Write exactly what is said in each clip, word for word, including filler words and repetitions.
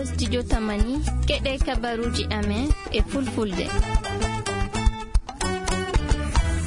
Studio Tamani, keɗe kabaruuji amen e fulfulde.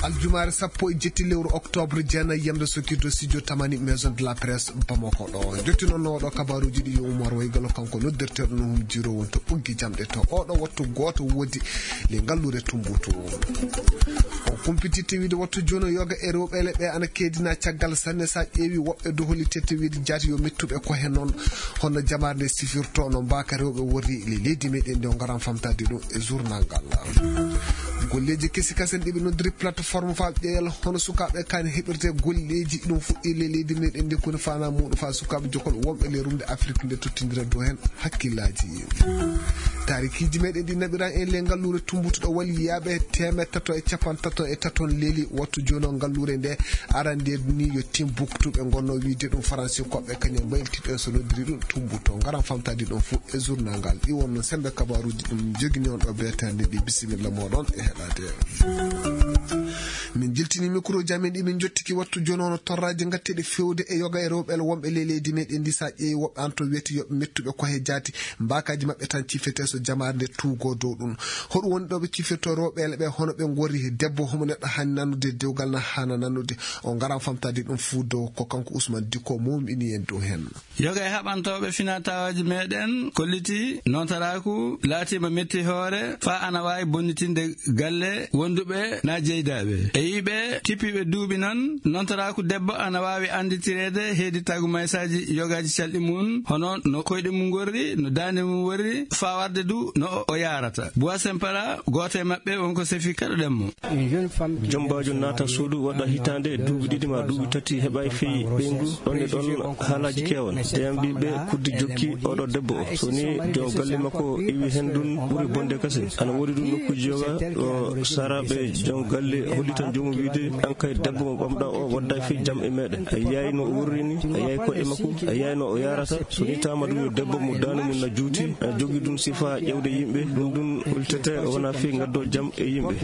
Aljumaare sappo e jetti lewru octobre, jeenayi yamde sokirde, studio Tamani, maison de la presse, Bamako ɗo. Jottinono oɗo kabaruuji ɗi yo Umar Waygalo, kanko noddirteeɗo no hum jiro won to ɓuggi jamɗe to. Oɗo wattu gooto woodi le ngalluure Tumbutu. O kumpititte wiide wattu jono yoga e rewɓe le ɓe ana keedina caggal sanne sa ƴeewi woɓɓe doholi tette wiide jaati yo mettuɓe ko he noon. Hono jamaare nde sifirto no mbaaka rewɓe worri le leydi meɗen nde o ngaran famtade ɗum e journal ngal. Golleeji kesi kasen ɗiɓe noddiri plateforme fa ƴeewal hono sukaaɓe kan heɓirte golleeji ɗum fuɗɗi le leydi meɗen nde koni fana muɗum fa sukaaɓe jokol wonɓe le rumde Afrique nde tottindira dow hen hakkillaaji. Taarikiiji meɗen ɗi naɓiran en le ngalluure Tumbutu ɗo wali yaaɓe teemeɗɗe tato e capanɗe tato e taton leeli wattu jono ngalluure nde arande ni yo Timbuktu ɓe gonno wiide ɗum faransi koɓɓe kañum mbayltiɗo en so noddiri ɗum Tumbutu ngaran famtade ɗum fof e journal ngal ɗi wonno sembe kabaruuji ɗum jogini on ɗo beetande ɗi bisimilla moɗon e heɗade. Min jiltini micro ji amen ɗi min jottiki wattu jono no torraji gatteɗe fewde e yoga e rewɓe wonɓe le leydi meɗen ndi sa ƴeewi woɓɓe an to wiyete yoɓe mettuɓe ko he jaati mbakaji maɓɓe tan cifete so jamaare nde tuugo dow ɗum. Hoɗum woni ɗo ɓe cifirto rewɓe ɓe hono ɓe gori he debbo homo neɗɗo hani nanude dewgal na hana nanude o ngaran famtade ɗum fuu dow ko kanko Ousmane Dicko mumɗini en dow hen. Yoga e haɓantooɓe finataawaaji meɗen kolliti nontaraaku laatiima metti hoore faa ana waawi bonnitinde galle wonduɓe na jeydaaɓe. E yiɓe kippiiɓe duuɓi noon, nontaraaku debbo ana waawi annditireede heedi tagumaysaaji yogaaji calɗi mum, hono no koyɗe mum ngorri, no daande mum worri, faa warde du no o yaarata. Bois Sempara, gooto e maɓɓe, wonko sefi kaɗoɗen mo. Jombaajo naata suudu waɗa hitaande e duuɓi ɗiɗi maa duuɓi tati heɓaay fii ɓeyngu, ɗon e ɗon haalaaji keewan. Teyam ɓiɓɓe kuddi jokki oɗo debbo o. So ni jon galle makko iwi hen ɗun ɓuri bonde kasen. Ana woodi ɗun nokkuuji yoga o saraaɓe jon galle hollitan joomum wiide an kay debbo mo ɓamɗa o waddaay fii jam e meɗen. A yiyaay no o wurri ni, a yiyaay koɗe makko, a yiyaay no o yaarata. So ni taama ɗun yo debbo mo daande mum na juuti, ana jogii ɗun sifa ƴewde yimɓe, ɗun ɗun holtete wona fii ngaddo jam e yimɓe.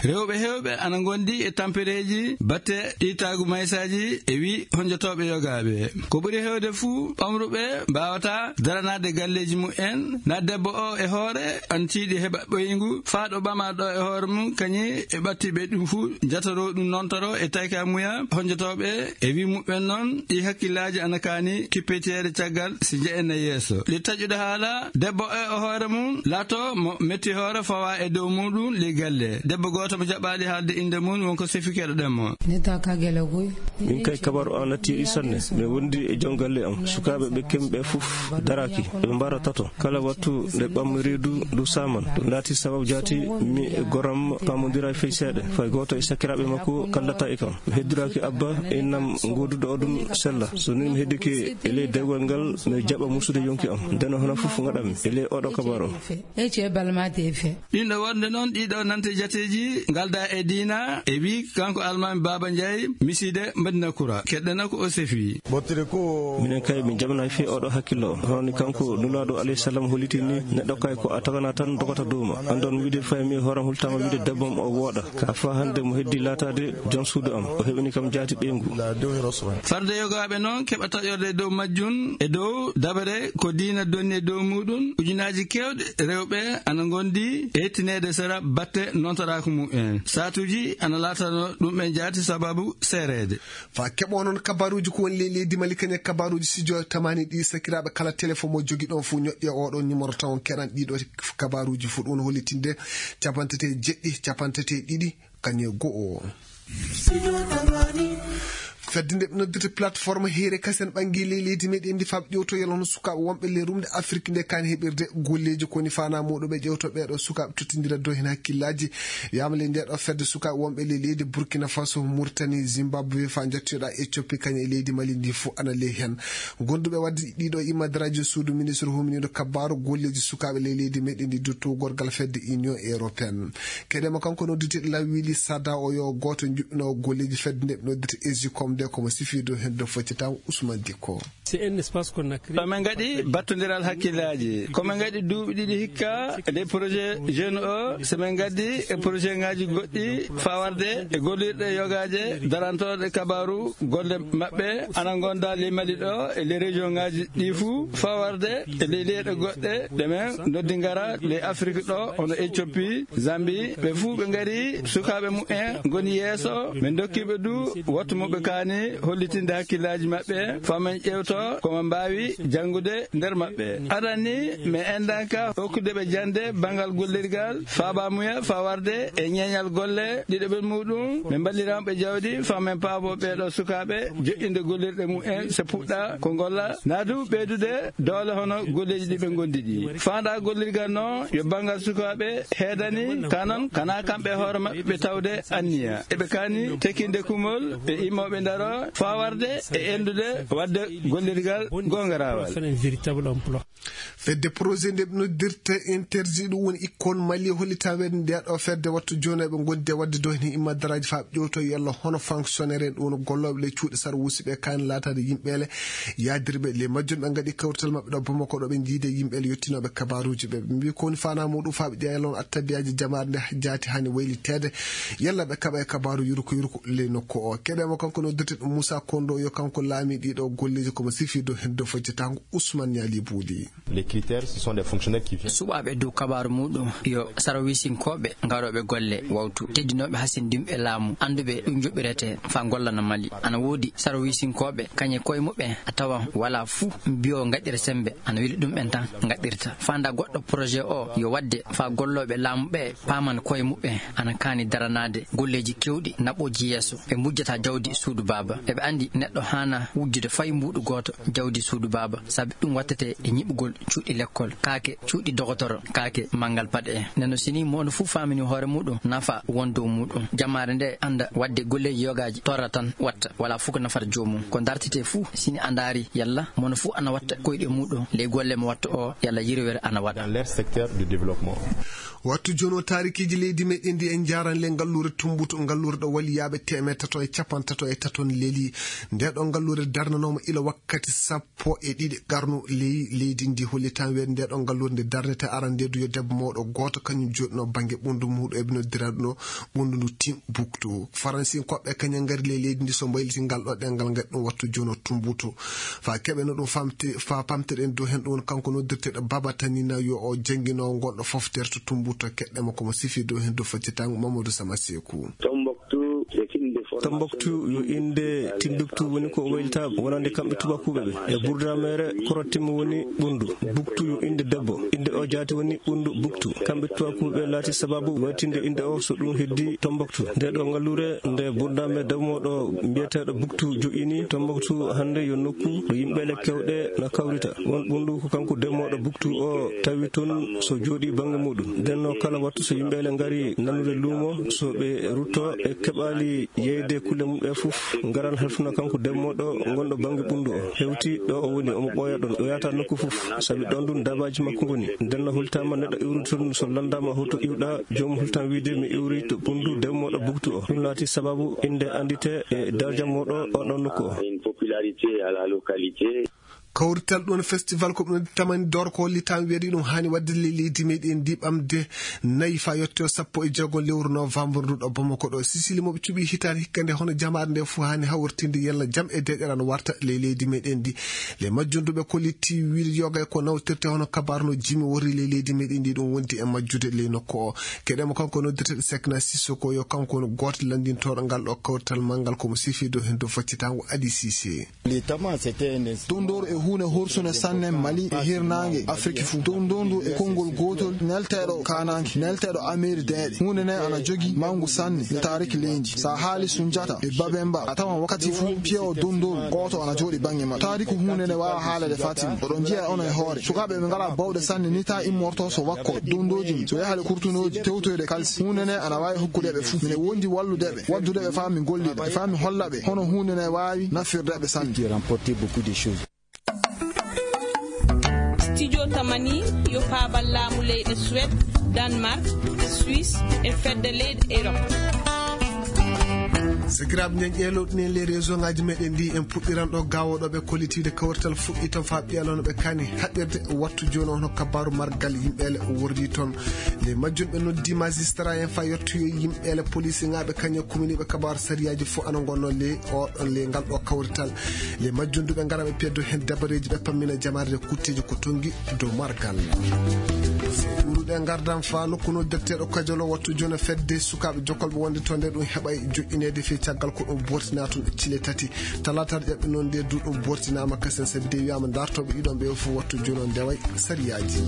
Rewɓe heewɓe ana ngondi e tampereeji batte ɗi tagumaysaaji e wi honjotooɓe yogaaɓe. Ko ɓuri heewde fuu, ɓamruɓe mbaawataa daranaade galleeji mumen, na debbo o e hoore ana tiiɗi heɓa ɓoyngu, faa ɗo ɓamaa ɗo e hoore mum, kañi e ɓattiiɓe ɗum fuu, jatoroo ɗum nontoro e tayka muya honjotooɓe e wi mumen noon, ɗi hakkillaaji ana kaani kippiteede caggal si jeyen e yeeso. Ɗi taƴude haala, debbo o e hoore mum, laato mo metti hoore fawa e dow muɗum, li galle. Debbo gooto mo jaɓaali haalde innde mum, wonko sefi keɗoɗen mo. Min kay kabaru an natti e sanne. Mi wondi e jon galle am. Sukaaɓe ɓe kemɓe fof daraaki. Ɓe mbara tato. Kala wattu nde ɓammi reedu ndu saman. Ɗum laati sababu jaati mi e goram paamondira fey seeɗa. Fay gooto e sakiraaɓe makko kallata e kam. Mi heddiraaki abba e innam gooduɗo oɗum sella. So ni mi heddike e ley dewgal ngal, mi jaɓa musude yonki am. Ndeno hono fof ngaɗami e ley oɗo kabaru o. Ece balmate fe. Ɗin ɗo wonde noon, ɗiɗo nante jateeji ngalda e diina, e wi kanko Almaami Baaba Njaay, misiide Madina Kura. Keɗɗena ko o sefi. Minen kay, min jaɓnaay fii oɗo hakkillo o. Hono ni kanko Nulaaɗo alayhi salam holliti ni, neɗɗo kay ko a tagana tan dogata dow ma. Anndon wiide fay mi horam hultama wiide debbo am o wooɗa. Ka faa hannde mo heddi laataade jom suudu am. O heɓini kam jaati ɓeyngu. Farde yogaaɓe noon keɓa taƴorde dow majjum e dow dabare ko diina donni e dow muɗum. Ujunaaji keewɗi rewɓe ana ngondi e yettineede sera batte nontoraaku mumen. Saatuuji ana laatano ɗumɓe jaati sababu seereede. Fa keɓo noon kabaruuji ko woni ley leydi Mali kañe kabaruuji studio Tamani ɗi sakiraaɓe kala téléphone mo jogi ɗon fof ñoƴƴe oɗo numéro taw on keɗan ɗiɗo kabaruuji fof ɗum woni hollitinde capanɗe tati e jeɗɗi, capanɗe tati e ɗiɗi, kañe go'o. Fedde nde ɓe noddirta plateforme heere kasen ɓangi ley leydi meɗen ndi faaɓ ƴewtoyal hono sukaaɓe wonɓe ley rumde Afrik nde kaani heɓirde golleeji ko woni fana muɗum ɓe ƴewto ɓeeɗo sukaaɓe tottindira dow heen hakkillaaji. Wiyaama ley nde ɗo fedde sukaaɓe wonɓe ley leydi Burkina Faso, Mauritanie, Zimbabwe faa njattoyoɗa Éthiopie kañum e leydi Mali ndi fof ana ley heen. Gonduɓe wadde ɗiɗo immadraaji suudu ministre huminiiɗo kabbaaru golleeji sukaaɓe ley leydi meɗen ndi dutto gorgal fedde Union Européenne. Keɗema kanko nodditeɗo law wiili Sada o yo gooto juɓɓino golleeji fedde nde ɓe noddirta Esicom nde komo sifiido heen do foccata Ousmane Dicko. C'est un espace qu'on a créé. Ko min ngaɗi battondiral hakkillaaji. Ko min ngaɗi duuɓi ɗiɗi hikka e nder projet jeune o, so min ngaddi e projet ngaaji goɗɗi faa warde e gollirɗe yogaaje darantooɗe kabaaru golle maɓɓe ana ngonda ley Mali ɗo e ley région ngaaji ɗi fuu, faa warde e ley leyɗe goɗɗe ɗe min noddi ngara ley Afrik ɗo, hono Éthiopie, Zambie. Ɓe fuu ɓe ngari, sukaaɓe mumen ngoni yeeso. Min ndokki ɓe du wattu mo ɓe kaani hollitinde hakkillaaji maɓɓe, faa min ƴeewto ko ɓe mbaawi janngude nder maɓɓe. Aran ni, min enndanka hokkude ɓe jannde banngal gollirgal, faa baamuya, faa warde e ñeeñal golle ɗiɗaɓel muuɗum. Min mballiramo ɓe jawdi, faa min paabo ɓee ɗoo sukaaɓe joƴƴinde gollirɗe mumen, so puɗɗa ko ngolla, naa du ɓeydude doole hono golleeji ɗi ɓe ngondi ɗi. Faandaa gollirgal noon yo banngal sukaaɓe heedani, kaa noon kanaa kamɓe hoore maɓɓe ɓe tawde anniya. Eɓe kaani tekkinde kumol e immooɓe ndaro faa warde e enndude waɗde gollirgal goonga raawal. Fedde projet nde ɓe noddirta Interji, ɗum woni Ikkon Mali, hollitaa weeɗde nde ɗo fedde wattu jooni eɓe ngondi e waɗde dow heen himmadaraaji faa ɓe ƴeewto yalla hono fonctionnaire en, ɗum woni gollooɓe ley cuuɗi sarwuusi ɓe kaani laataade yimɓeele yaadirɓe ley majjum. Ɓe ngaɗi kawrital maɓɓe ɗo Bamako ɗo ɓe njiidi e yimɓeele yettinooɓe kabaaruuji ɓe. Ɓe mbii ko woni faanaa muuɗum faa ɓe ƴeewa yalla on attandiyaaji jamaare nde jaati haani wayliteede yalla ɓe kaɓa e kabaaru yurko yurko ley nokku o. Keɗen mo kanko noddirteeɗo Moussa Kondo yo kanko laami ɗii ɗoo golleeji ko mo sifii dow heddo foccitaango Ousmane Niali Bouli. Les critères, ce sont des fonctionnaires qui viennent. Suɓaaɓe dow kabaaru muuɗum yo sarwiisinkooɓe garooɓe golle wawtu, teddinooɓe hasindinɓe laamu, annduɓe ɗum joɓɓiretee faa ngollana Mali. Ana woodi sarwiisinkooɓe, kañe koye muɓɓen a tawan walaa fuu mbiyo ngaɗira semmbe, ana weli ɗumɓen tan ngaɗirta. Faandaa goɗɗo projet o yo waɗde faa gollooɓe laamu ɓe paaman koye muɓɓen ana kaani daranaade golleeji keewɗi naɓooji yeeso. Ɓe mbujjata jawdi suudu baaba. Eɓe anndi neɗɗo haana wujjude fay mbuuɗu gooto jawdi suudu baaba, sabi ɗum wattete e ñiɓugol cuuɗi lekkol, kaake cuuɗi dogotoro, kaake manngal paɗe en. Nden no, si nii mo no fuu faamini hoore muuɗum, nafa won dow muuɗum. Jamaare nde annda waɗde golleeji yogaaji torra tan watta, walaa fuu ko nafata joomum. Ko dartetee fuu, si nii a ndaari yalla mo no fuu ana watta koyɗe muuɗum ley golle mo watta o, yalla yirwere ana waɗa. Dans leur secteur de développement. Wattu jooni o, taarikiiji leydi meɗen ndi en njaaran le ngalluure Tumbutu, ngalluure ɗo waliyaaɓe teemeɗɗe tato e capanɗe tato e tato leli. Nde ɗo ngalluure darnanooma ila wakkati sappo e ɗiɗi qarnu ley leydi ndi. Hollitaa weeɗde nde ɗo ngalluure nde darnete aran nde du yo debbo mawɗo gooto kañum jooɗino bannge ɓunndu muuɗum, eɓe noddira ɗum ɗo ɓunndu ndu Timbuktu. Faransinkooɓe kañum ngari ley leydi ndi so mbayliti ngal ɗo ɗemngal ngaɗi ɗum wattu jooni o Tumbutu. Faa keɓen no ɗum famti-, faa pamtiɗen dow heen ɗum woni kanko noddirteeɗo Baba Tanina yo o janngino ngonɗo foftere to Tumbutu, keɗɗen mo ko mo sifi dow heen dow faccitaango Mamadou Sama Seeku. Tombouctou, c'est une des formations Tombouctou yo innde Timbuktu woni ko o waylita wonande kamɓe tubakuuɓe ɓe. E burdameere korottimmo woni ɓunndu. Buktu yo innde debbo. Innde o jaati woni ɓunndu Buktu. Kamɓe tubakuuɓe laati sababu waytinde innde o so ɗum heddi Tombouctu. Nde ɗo ngalluure nde burdameere debbo mo ɗo mbiyeteeɗo Buktu joƴƴini Tombouctou hannde yo nokku ɗo yimɓeele kewɗe na kawrita. Won ɓunndu ko kanko debbo mawɗo Buktu o tawi toon so jooɗii bannge muɗum. Nden no kala wattu so yimɓeele ngari nanude luumo, so ɓe rutto e keɓaali yeyde kulle mum ɗe fof, ngaran halfuna kanko debbo mawɗo ngonɗo bannge ɓunndu o. Hewti ɗo o woni, omo ɓooya ɗon, o yahata nokku fof, sabi ɗon ɗum dabaaji makko ngoni. Nden no holtaama neɗɗo iwrude toon, so lanndaama hoto iwɗa, joomum holtan wiide mi iwri to ɓunndu debbo mawɗo Buktu o. Ɗum laati sababu innde anndite e daraja mawɗo on ɗon nokku o. Une popularité à la localité. Kawrital ɗum festival ko ɗum tamani dor ko hollitaa weeri ɗum haani waɗde le leydi meɗen ndi ɓamde nayi faa yotte o sappo e jeego lewru novembre ndu ɗo Bamako ɗo. Sisili mo ɓe cuɓi hitaande hikka nde hono jamaare nde fof haani hawritinde yalla jam e deeƴere ana warta le leydi meɗen ndi. Le majjunduɓe kolliti wiide yoga e ko nawtirte hono kabaar no jimi wori le leydi meɗen ndi ɗum wondi e majjude le nokku o. Keɗen mo kanko noddirteeɗo Sekna Sissoko yo kanko woni gooto lanndintooɗo ngal ɗo kawrital manngal ko mo sifi dow heen dow faccitaango Adi Sise. Dondor e huunde horsunde sanne Mali e hirnaange Afirki fuu. Dondor ndu e konngol gootol nelteeɗo kaanaanke, nelteeɗo ameeri deeɗe. Huunde nde ana jogii manngu sanne e taariki leydi. So a haali Sunjata e Babemba, a tawan wakkati fuu piyewo dondor gooto ana jooɗi bannge maɓɓe. Taariki huunde nde waawaa haalede Fatima. Oɗon njiya on e hoore. Sukaaɓe ɓe ngalaa bawɗe sanne ni taa immorto so wakko dondooji mum. So yaha le kurtunooji tewtoyde kalsi. Huunde nde ana waawi hokkude ɓe fuu. Mine wondi wallude ɓe, waddude ɓe faa mi gollida, faa mi holla ɓe hono huunde nde waawi nafirde ɓe sanne. Qui a remporté beaucoup de choses. Studio Tamani yo paabal laamu leyɗe Suède, Danemark, Suisse e fedde leyɗe Europe. Sakiraaɓe, nden ƴeelowɗen les réseau ngaji meɗen ndi, en puɗɗiran ɗo gawoɗo ɓe kollitiiɓe kawrital fuɗɗi toon faa ɓiyalano ɓe kani haɓɓirde. Wattu jooni on hokka kabaaru margal yimɓeele wordi toon. Les majjunɓe noddi magistrat en faa yottoyo yimɓeele police ngaɓe kañe kuminiiɓe kabaaru sariyaaji fof ana ngonno les oɗon les ngal ɗo kawrital. Les majjunduɓe ngara ɓe peddo heen dabareeji ɓe pammina jamaare kutteeji ko tongi dow margal. Ɓuruɗe ngardan faa nokku noddirteeɗo Kajolo. Wattu jooni fedde sukaaɓe jokkolɓe wonde toon nde ɗum heɓay joƴƴineede fii caggal ko ɗum bortinaa toon cile tati. Talaata ƴaɓɓi noon nde du ɗum bortinaama kasen sabi de wiyaama dartooɓe ɗiɗon ɓe fof wattu jooni on ndeway sariyaaji.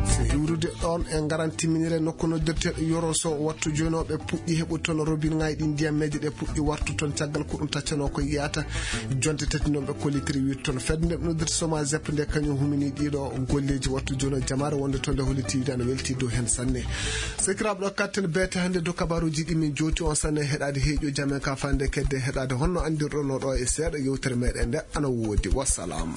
So iwrude ɗoon e ngaran timminire nokku noddirteeɗo Yoro Sow. Wattu jooni o ɓe puɗɗi heɓude toon robinŋaaji ɗi ndiyammeeje ɗe puɗɗi wartu toon caggal ko ɗum taccanoo ko yiyata. Jonte tati noon ɓe kollitiri wiide toon fedde nde ɓe noddirta Soma Zep nde kañum humini ɗiɗo golleeji. Wattu jooni o jamaare wonde toon nde holliti wiide ana welti dow heen sanne. Sakiraaɓe, ɗo katten beete hannde dow kabaaruuji ɗi min jooti on sanne heɗaade heeƴo jamen ka fande kedde heɗaade honno anndirɗon no ɗo e seeɗa yewtere meɗen nde ana woodi. Wassalam.